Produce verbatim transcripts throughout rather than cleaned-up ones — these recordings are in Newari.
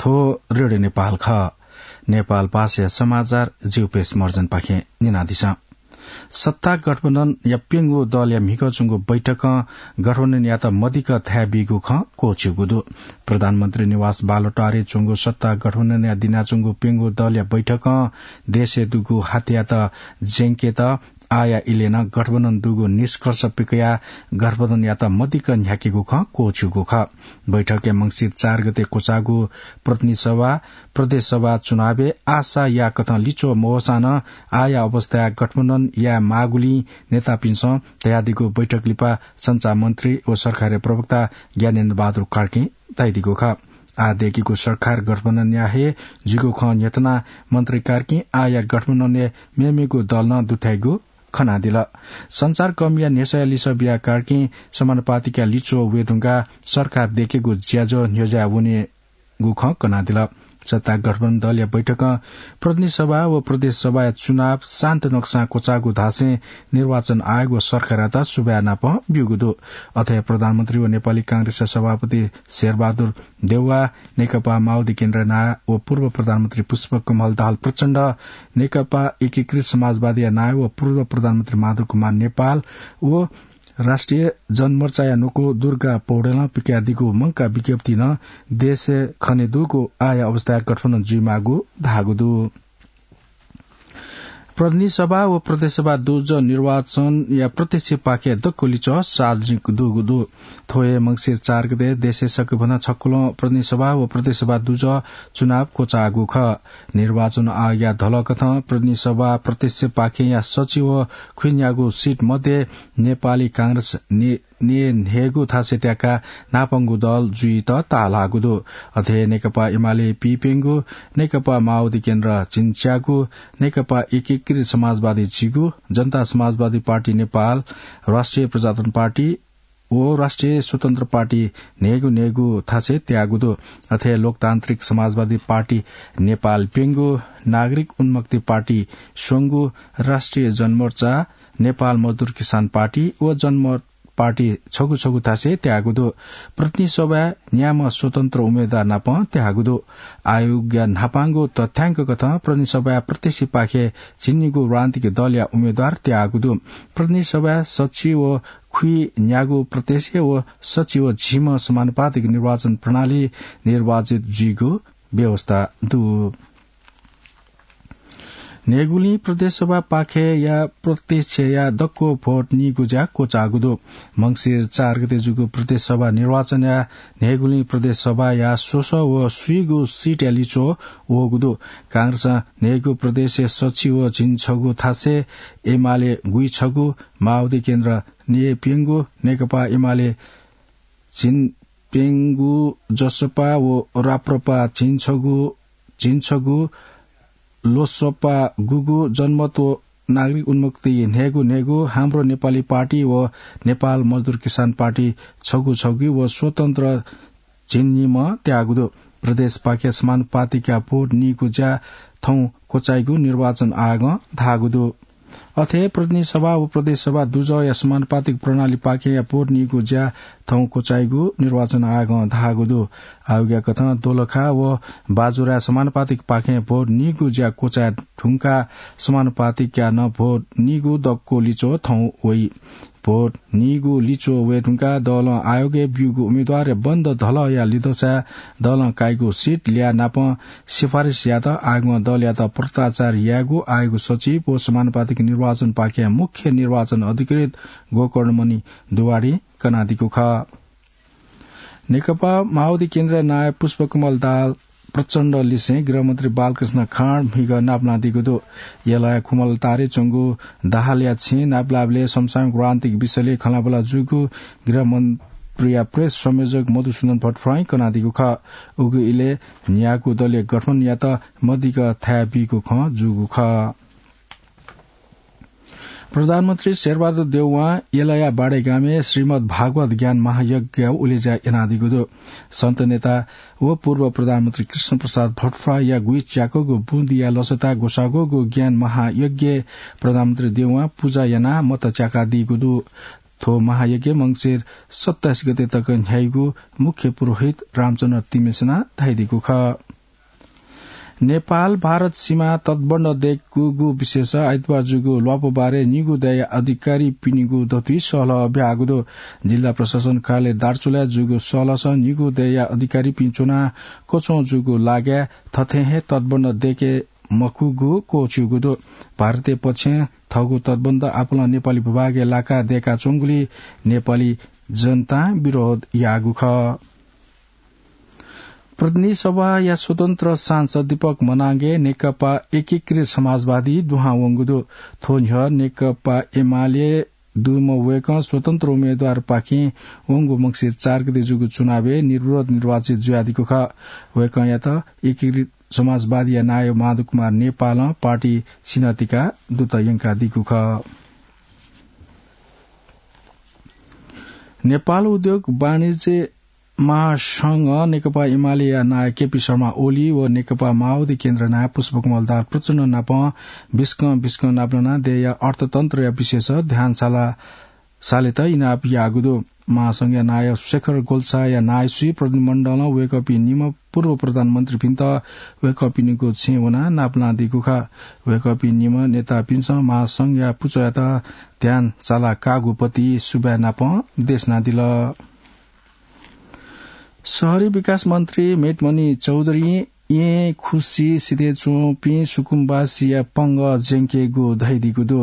थ्व रेडियो नेपाल खः। नेपाल भाषाया समाचार जिउपेश मर्जनपाखें न्यनादिसँ। सत्ता गठबन्धनया प्यंगू दलया म्हिगः च्वंगु बैठकं गठबन्धनयात मदिक्क थाय् बीगु खँ क्वःछिउगु दु। प्रधानमन्त्री निवास बालुवाटारय् च्वंगु सत्ता गठबन्धनया दिनाच्वंगु प्यंगू दलया बैठकं देशय् दुगु हात्यात ज्यंकेत आःया इलय् नं गठबन्धन दुगु निष्कर्ष पिकयाः गठबन्धनयात मदिक्क न्ह्याकेगु खँ क्वःछिउगु खः। बैठकय् मंसिर चार गते क्वचाःगु प्रतिनिधि सभा, प्रदेश सभा चुनावय् आशा याःकथं लिच्वः मवःसां नं आःया अवस्थाय् गठबन्धन याये माःगुलिं नेतापिन्सं धयादीगु बैठक लिपा सञ्चार मन्त्री व सरकारया प्रवक्ता ज्ञानेन्द्र बहादुर कार्कीं धयादीगु खः। आः दय्केगु सरकार गठबन्धनया हे जुइगु खँ न्ह्यथनाः मन्त्री कार्कीं आःया गठबन्धनय् मेमेगु दल नं दुथ्याइगु खनादिल। सञ्चारकर्मीया न्ह्यसःया लिसः बियाः कार्कीं समानुपातिकया लिच्वः वये धुंकाः सरकार दय्केगु ज्याझ्वः न्ह्यज्याः वनेगु खँ कनादिल। सत्ता गठबन्धन दलया बैठकं प्रतिनिधि सभा व प्रदेश सभाया चुनाव शान्त नक्सां क्वचाःगु धासें निर्वाचन आयोग व सरकारयात सुभाय् नापं ब्यूगु दु। अथे प्रधानमन्त्री व नेपाली कांग्रेसया सभापति शेरबहादुर देउवा, नेकपा माओवादी केन्द्र नायः व पूर्व प्रधानमन्त्री पुष्पकमल दाहाल प्रचण्ड, नेकपा एकीकृत समाजवादीया नायः व पूर्व प्रधानमन्त्री माधव कुमार नेपाल व राष्ट्रिय जनमोर्चाया न्वकू दुर्गा पौडेलं पिकयादीगु मंकाः विज्ञप्तिं नं देशय् खनेदुगु आःया अवस्थाय् गठबन्धन जुइमाःगु धाःगु दु। प्रतिनिधि सभा व प्रदेश सभा दुजः निर्वाचनया प्रत्यक्ष पाखें दक्व लिच्वः सार्वजनिक दुगु दु। थ्व हे मंसिर चार गते देशय् सकभनं छकुलं प्रतिनिधि सभा व प्रदेश सभा दुजः चुनाव क्वचाःगु खः। निर्वाचन आयोगया धलकथं प्रतिनिधि सभा प्रत्यक्ष पाखेंया सछि व खुइन्यागू सिट मध्ये नेपाली कांग्रेस ने-, ने न्हय्गू थासय् त्याकाः न्हापांगु दल जुइत ताःलाःगु दु। अथे नेकपा एमाले पीप्यंगू, नेकपा माओवादी केन्द्र झिंच्यागू, नेकपा एकीकृत समाजवादी झिगू, जनता समाजवादी पार्टी नेपाल, राष्ट्रिय प्रजातन्त्र पार्टी व राष्ट्रिय स्वतन्त्र पार्टी न्हय्गू न्हय्गू थासय् त्याःगु दु। अथे लोकतान्त्रिक समाजवादी पार्टी नेपाल प्यंगू, नागरिक उन्मुक्ति पार्टी स्वंगू, राष्ट्रिय जनमोर्चा, नेपाल मजदुर किसान पार्टी व जनमत पार्टी छगू छगू थासय् त्याःगु दु। प्रतिनिधि सभाय् न्याम्ह स्वतन्त्र उम्मेदवार नापं त्याःगु दु। आयोगया न्हापांगु तथ्यांक कथं प्रतिनिधि सभाय् प्रत्यक्ष पाखें झिंनिगू राजनीतिक दलया उम्मेदवार त्याःगु दु। प्रतिनिधि सभाय् सछि व खुइन्यागू प्रत्यक्ष व सछि व झिम्ह समानुपातिक निर्वाचन प्रणाली निर्वाचित जुइगु व्यवस्था दु। न्हय्गुलिं प्रदेश सभापाखेया प्रत्यक्षया दक्व भोट नीगु ज्या क्वचाःगु दु। मंसिर चार गते जूगु प्रदेश सभा निर्वाचनया न्हय्गुलिं प्रदेश सभाया स्वसः व स्वीगू सिटया लिच्वः वःगु दु। कांग्रेसं न्हय्गू प्रदेशय् सछि व झिंछगू थासय्, एमाले गुइछगू, माओवादी केन्द्र न्हय्प्यंगू, नेकपा एमाले झिंप्यंगू, जसपा व राप्रपा झिंछगू, झिंछगू, लोसपा गुगू, जनमत व नागरिक उन्मुक्ति न्हय्गू न्हय्गू, हाम्रो नेपाली पार्टी व नेपाल मजदुर किसान पार्टी छगू छगू व स्वतन्त्र झिंनिम्ह त्याःगु दु। प्रदेशपाखें समानुपातिकया भोट नीगु ज्या थौं क्वचाइगु निर्वाचन आयोगं धाःगु दु। अथे प्रतिनिधि सभा व प्रदेश सभा दुजःया समानुपातिक प्रणालीपाखेंया भोट नीगु ज्या थौं क्वचाइगु निर्वाचन आयोगं धाःगु दु। आयोगया कथं दोलखा व बाजुराया समानुपातिकपाखें भोट नीगु ज्या क्वचाये धुंकाः समानुपातिकया नं भोट नीगु दक्व लिच्वः थौं वइ। भोट नीगु लिच्वः वये धुंकाः दलं आयोगय् ब्यूगु उम्मेदवारया बन्द धलःया लिधंसाय् दलं काइगु सिट ल्याः नापं सिफारिस यायेत आयोगं दलयात पत्राचार यायेगु आयोग सचिव व समानुपातिक निर्वाचनपाखें मुख्य निर्वाचन अधिकृत गोकर्णमणि दुवाडीं कनादीगु खः। नेकपा माओवादी केन्द्रया नायः पुष्पकमल दाहाल प्रचण्ड लिसें गृहमन्त्री बालकृष्ण खाँड म्हिगः नापलानादीगु दु। यलया खुमलटारय् च्वंगु दाहालया छेँय् नापलाःबलय् समसामयिक राजनीतिक विषयलय् खँल्हाबल्हा जूगु गृहमन्त्रीया प्रेस संयोजक मधुसूदन भट्टराईं कनादीगु खः। उगु इलय् न्यागू दलया गठबन्धनयात मदिक्क थाय् बीगु खँ जूगु खः। प्रधानमन्त्री शेरबहादुर देउवां यलया बाडेगामय् श्रीमद्भागवत ज्ञान महायज्ञया उलेज्या यानादीगु दु। सन्त नेता व पूर्व प्रधानमन्त्री कृष्णप्रसाद भट्टराईया गुइच्याकूगु बुँदिया लसताय् ग्वसाःगु ज्ञान महायज्ञय् प्रधानमन्त्री देउवां पुजा यानाः मत च्याकादीगु दु। थ्व महायज्ञ मंसिर सत्ताइस गते तक न्ह्याइगु मुख्य पुरोहित रामचन्द्र तिमेसनां धयादीगु खः। नेपाल भारत सीमा तटबन्ध दय्कूगु विषयस आइतबार जूगु ल्वापु बारे निगू दाय्या अधिकारीपिनिगु दथुइ सहलह ब्याहागु दु। जिल्ला प्रशासन कार्यालय दार्चुलाय् जूगु सहलहस निगू दाय्या अधिकारीपिं च्वनाः कच्वं जूगु लागाय् थथे हे तटबन्ध दय्के मखुगु क्वःछिउगु दु। भारतीय पक्षं थःगु तटबन्ध आपालं नेपाली भूभागय् लाकाः दय्काच्वंगुलिं नेपाली जनतां विरोध याःगु खः। प्रतिनिधि सभाया स्वतन्त्र सांसद दीपक मनांगे नेकपा एकीकृत समाजवादी दुहां वंगु दु। थ्व न्ह्यः नेकपा एमाले दुम्ह वय्कः स्वतन्त्र उम्मेदवारपाखें वंगु मंसिर चार गते जूगु चुनावय् निर्विरोध निर्वाचित जुयादीगु खः। वय्कःयात एकीकृत समाजवादीया नायः माधव कुमार नेपालं पार्टी सिन्हतिका दूत यंकादीगु खः। नेपाल उद्योग वाणिज्य महासंघ नेकपा एमालेया नायः केपी शर्मा ओली व नेकपा माओवादी केन्द्र नायः पुष्पकमल दाहाल प्रचण्ड नाप बिस्कं बिस्कं नापलानाः देय्या अर्थतन्त्रया विषयस ध्यान साला सालेत इनाप याःगु दु। महासंघया नायः शेखर गोल्छाया नायःसुइ प्रतिनिधिमण्डलं वय्कःपिं निम्ह पूर्व प्रधानमन्त्रीपिन्त वय्कःपिनिगु छेँय् वनाः नापलानादीगु खः। वय्कःपिं निम्ह नेतापिन्सं महासंघया पुचःयात ध्यान साला काःगु पति सुभाय् नाप देछानादिल। शहरी विकास मन्त्री मेटमणि चौधुरीं येँ खुसि सिथय् च्वंपिं सुकुम्बासीया पंगः ज्यंकेगु धयादीगु दु।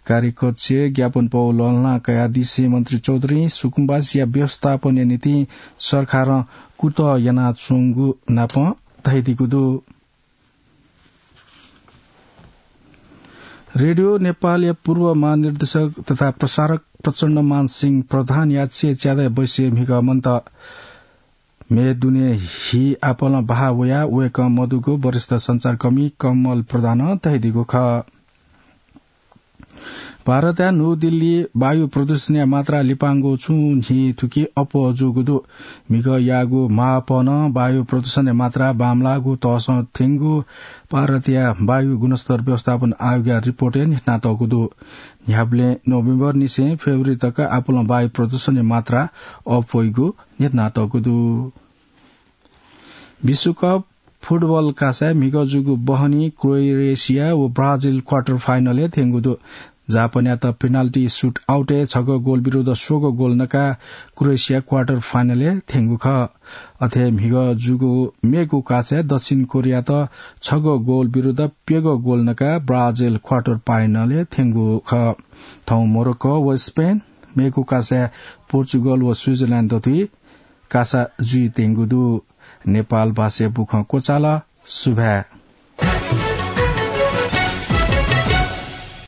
कार्यकक्षय् ज्ञापन पौ लःल्हाना कयादिसें मन्त्री चौधुरीं सुकुम्बासीया व्यवस्थापनया निंतिं सरकारं कुतः यानाच्वंगु नाप धयादीगु दु। रेडियो नेपालया पूर्व महानिर्देशक तथा प्रसारक प्रचण्डमान सिंह प्रधानया चय्च्यादँय् बैसय् म्हिगः मन्त। म्ये दुने हि आपालं बहाः वयाः वय्कः मदुगु वरिष्ठ सञ्चारकर्मी कमल प्रधानं धयादीगु खः। भारतया न्हू दिल्ली वायु प्रदूषणया मात्रा लिपांगु छुं न्हि थुकी अप्वः जूगु दु। म्हिगः याःगु मापनं वायु प्रदूषणया मात्रा बांमलाःगु तःसं थ्यंगु भारतया वायु गुणस्तर व्यवस्थापन आयोगया रिपोर्टय् न्ह्यथनातःगु दु। न्ह्याबलें नोभेम्बरनिसें फेब्रुअरी तक आपालं वायु प्रदूषणया मात्रा अप्वइगु न्ह्यथनातःगु दु। विश्वकप फुटबल कासाय् म्हिगः जूगु बहनी क्रोएसिया व ब्राजिल क्वार्टर फाइनलय् थ्यंगु दु। जापानयात पेनाल्टी सुट आउटय् छगः गोल विरुद्ध स्वगः गोल नकाः क्रोएसिया क्वार्टर फाइनलय् थ्यंगु खः। अथे म्हिगः जूगु मेगु कासाय् दक्षिण कोरियात छगः गोल विरुद्ध प्यगः गोल नकाः ब्राजिल क्वार्टर फाइनलय् थ्यंगु खः। थौं मोरोक्को व स्पेन, मेगु कासाय् पोर्चुगल व स्विजरल्याण्ड दथुइ कासा जुइत्यंगु दु। नेपाल भाषाया बुखँ क्वचाल। सुभाय्।